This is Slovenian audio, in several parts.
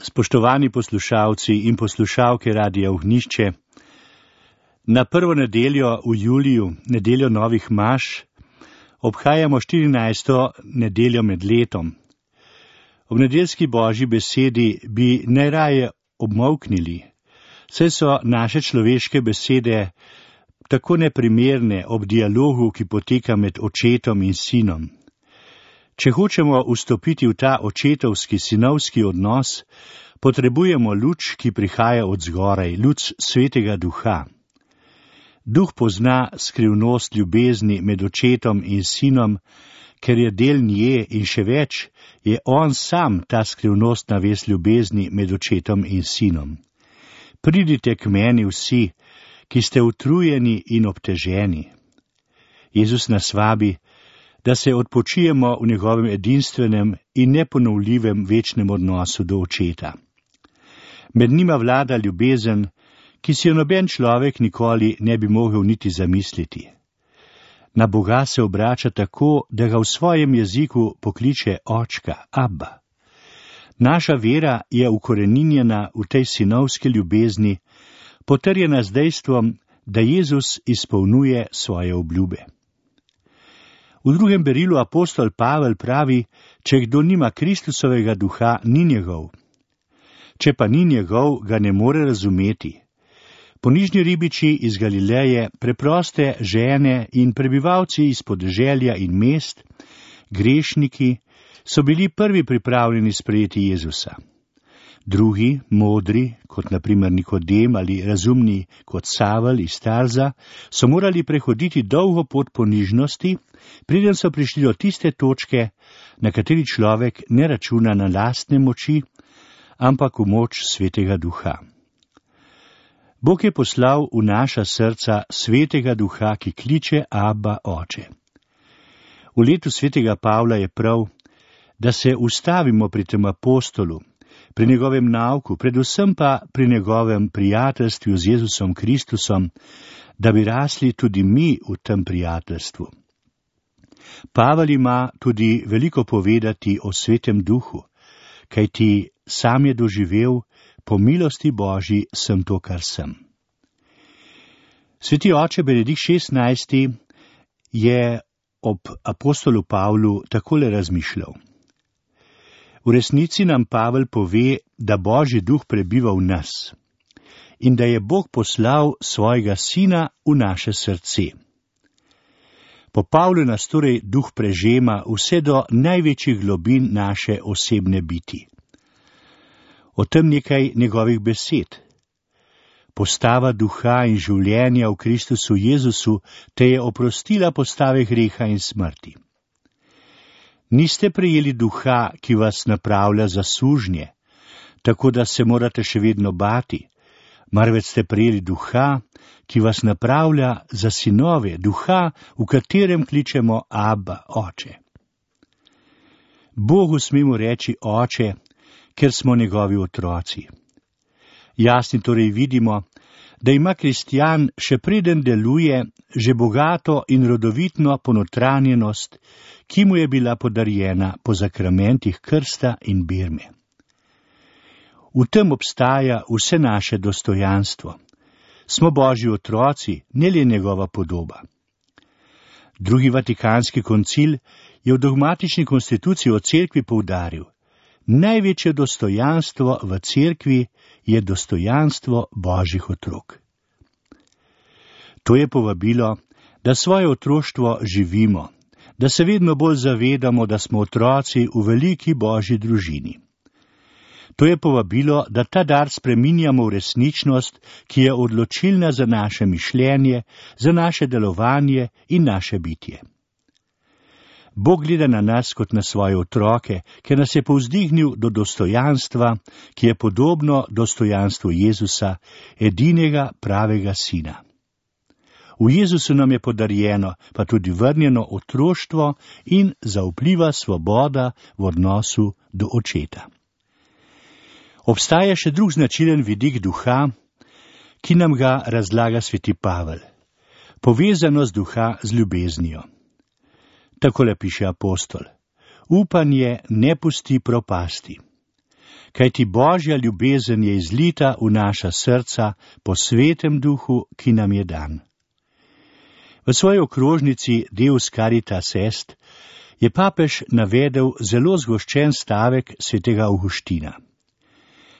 Spoštovani poslušalci in poslušalke Radia Ognjišče, na prvo nedeljo v juliju, nedeljo novih maš, obhajamo 14. nedeljo med letom. Ob nedeljski božji besedi bi najraje obmolknili, saj so naše človeške besede tako neprimerne ob dialogu, ki poteka med očetom in sinom. Če hočemo vstopiti v ta očetovski, sinovski odnos, potrebujemo luč, ki prihaja od zgoraj, luč Svetega Duha. Duh pozna skrivnost ljubezni med očetom in sinom, ker je del nje in še več, je on sam ta skrivnostna vez ljubezni med očetom in sinom. Pridite k meni vsi, ki ste utrujeni in obteženi. Jezus nas vabi, da se odpočijemo v njegovem edinstvenem in neponovljivem večnem odnosu do očeta. Med njima vlada ljubezen, ki si jo noben človek nikoli ne bi mogel niti zamisliti. Na Boga se obrača tako, da ga v svojem jeziku pokliče očka, Abba. Naša vera je ukoreninjena v tej sinovski ljubezni, potrjena z dejstvom, da Jezus izpolnjuje svoje obljube. V drugem berilu apostol Pavel pravi, če kdo nima Kristusovega duha, ni njegov. Če pa ni njegov, ga ne more razumeti. Ponižni ribiči iz Galileje, preproste žene in prebivalci iz podeželja in mest, grešniki, so bili prvi pripravljeni sprejeti Jezusa. Drugi, modri, kot na primer Nikodem ali razumni kot Savel iz Tarza, so morali prehoditi dolgo pot ponižnosti, preden so prišli do tiste točke, na kateri človek ne računa na lastne moči, ampak v moč Svetega Duha. Bog je poslal v naša srca Svetega Duha, ki kliče Abba, Oče. V letu Svetega Pavla je prav, da se ustavimo pri tem apostolu, pri njegovem nauku, predvsem pa pri njegovem prijateljstvu z Jezusom Kristusom, da bi rasli tudi mi v tem prijateljstvu. Pavel ima tudi veliko povedati o Svetem Duhu, kajti sam je doživel, po milosti Božji sem to, kar sem. Sveti oče Benedikt XVI je ob apostolu Pavlu takole razmišljal. V resnici nam Pavel pove, da Božji duh prebiva v nas in da je Bog poslal svojega sina v naše srce. Po Pavlu nas torej duh prežema vse do največjih globin naše osebne biti. O tem nekaj njegovih besed. Postava duha in življenja v Kristusu Jezusu te je oprostila postave greha in smrti. Niste prejeli duha, ki vas napravlja za sužnje, tako da se morate še vedno bati, marveč ste prejeli duha, ki vas napravlja za sinove, duha, v katerem kličemo Abba, Oče. Bogu smemo reči Oče, ker smo njegovi otroci. Jasni torej vidimo, da ima kristjan še preden deluje že bogato in rodovitno ponotranjenost, ki mu je bila podarjena po zakramentih krsta in birme. V tem obstaja vse naše dostojanstvo. Smo Božji otroci, ne le njegova podoba. Drugi vatikanski koncil je v dogmatični konstituciji o cerkvi poudaril: največje dostojanstvo v cerkvi je dostojanstvo Božjih otrok. To je povabilo, da svoje otroštvo živimo, da se vedno bolj zavedamo, da smo otroci v veliki Božji družini. To je povabilo, da ta dar spreminjamo v resničnost, ki je odločilna za naše mišljenje, za naše delovanje in naše bitje. Bog gleda na nas kot na svoje otroke, ker nas je povzdignil do dostojanstva, ki je podobno dostojanstvu Jezusa, edinega pravega sina. V Jezusu nam je podarjeno, pa tudi vrnjeno otroštvo in zaupljiva svoboda v odnosu do očeta. Obstaja še drug značilen vidik duha, ki nam ga razlaga sveti Pavel. Povezanost duha z ljubeznijo. Takole piše apostol: upanje ne pusti propasti. kajti Božja ljubezen je izlita v naša srca po svetem duhu, ki nam je dan. V svoji okrožnici Deus Caritas Est je papež navedel zelo zgoščen stavek svetega Avguština.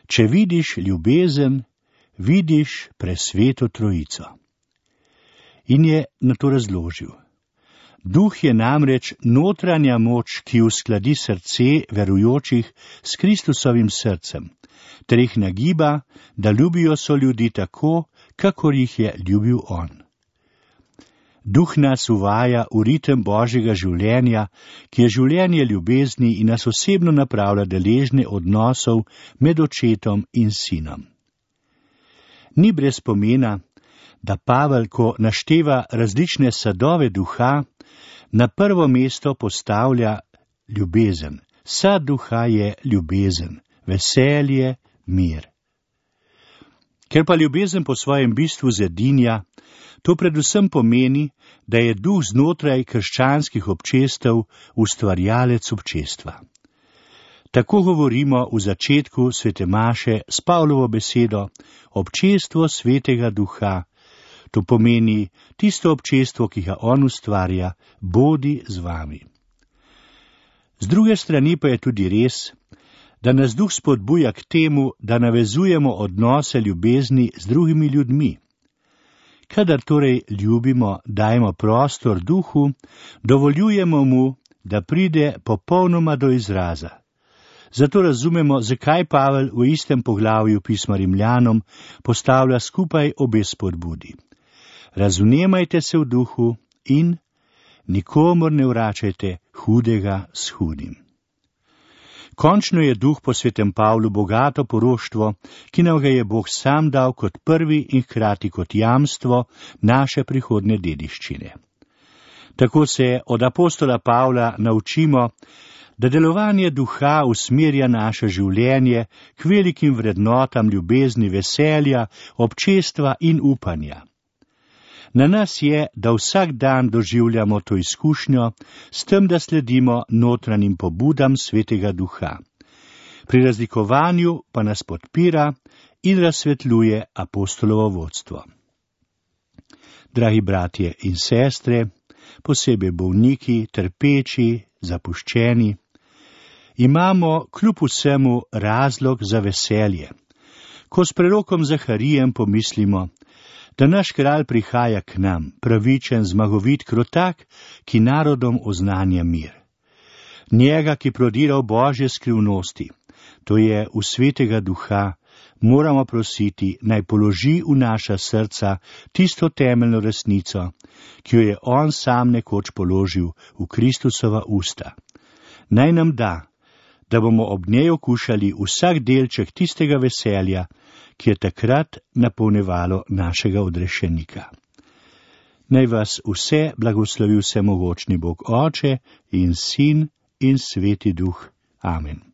Če vidiš ljubezen, vidiš presveto trojico. In je na to razložil. Duh je namreč notranja moč, ki uskladi srce verujočih s Kristusovim srcem, ter jih nagiba, da ljubijo soljudi tako, kakor jih je ljubil on. Duh nas uvaja v ritem Božjega življenja, ki je življenje ljubezni in nas osebno napravlja deležne odnosov med očetom in sinom. Ni brez pomena, da Pavel, ko našteva različne sadove duha, na prvo mesto postavlja ljubezen. Sad duha je ljubezen, veselje, mir. Ker pa ljubezen po svojem bistvu zedinja, to predvsem pomeni, da je duh znotraj krščanskih občestev ustvarjalec občestva. Tako govorimo v začetku svete maše s Pavlovo besedo občestvo svetega duha. To pomeni tisto občestvo, ki ga on ustvarja, bodi z vami. Z druge strani pa je tudi res, da nas duh spodbuja k temu, da navezujemo odnose ljubezni z drugimi ljudmi. Kadar torej ljubimo, dajemo prostor duhu, dovoljujemo mu, da pride popolnoma do izraza. Zato razumemo, zakaj Pavel v istem poglavju pisma Rimljanom postavlja skupaj obe spodbudi. Razumemajte se v duhu in nikomur ne vračajte hudega s hudim. Končno je duh po svetem Pavlu bogato poroštvo, ki nam ga je Bog sam dal kot prvi in hkrati kot jamstvo naše prihodne dediščine. Tako se od apostola Pavla naučimo, da delovanje duha usmerja naše življenje k velikim vrednotam ljubezni, veselja, občestva in upanja. Na nas je, da vsak dan doživljamo to izkušnjo, s tem, da sledimo notranjim pobudam svetega duha. Pri razlikovanju pa nas podpira in razsvetljuje apostolovo vodstvo. Dragi bratje in sestre, posebej bolniki, trpeči, zapuščeni, imamo kljub vsemu razlog za veselje. Ko s prerokom Zaharijem pomislimo, da naš kralj prihaja k nam, pravičen, zmagovit, krotak, ki narodom oznanja mir. Njega, ki prodira v Božje skrivnosti, to je v svetega duha, moramo prositi, naj položi v naša srca tisto temeljno resnico, ki jo je on sam nekoč položil v Kristusova usta. Naj nam da bomo ob njej okušali vsak delček tistega veselja, ki je takrat napolnevalo našega odrešenika. Naj vas vse blagoslovi vsemogočni Bog Oče in Sin in Sveti Duh. Amen.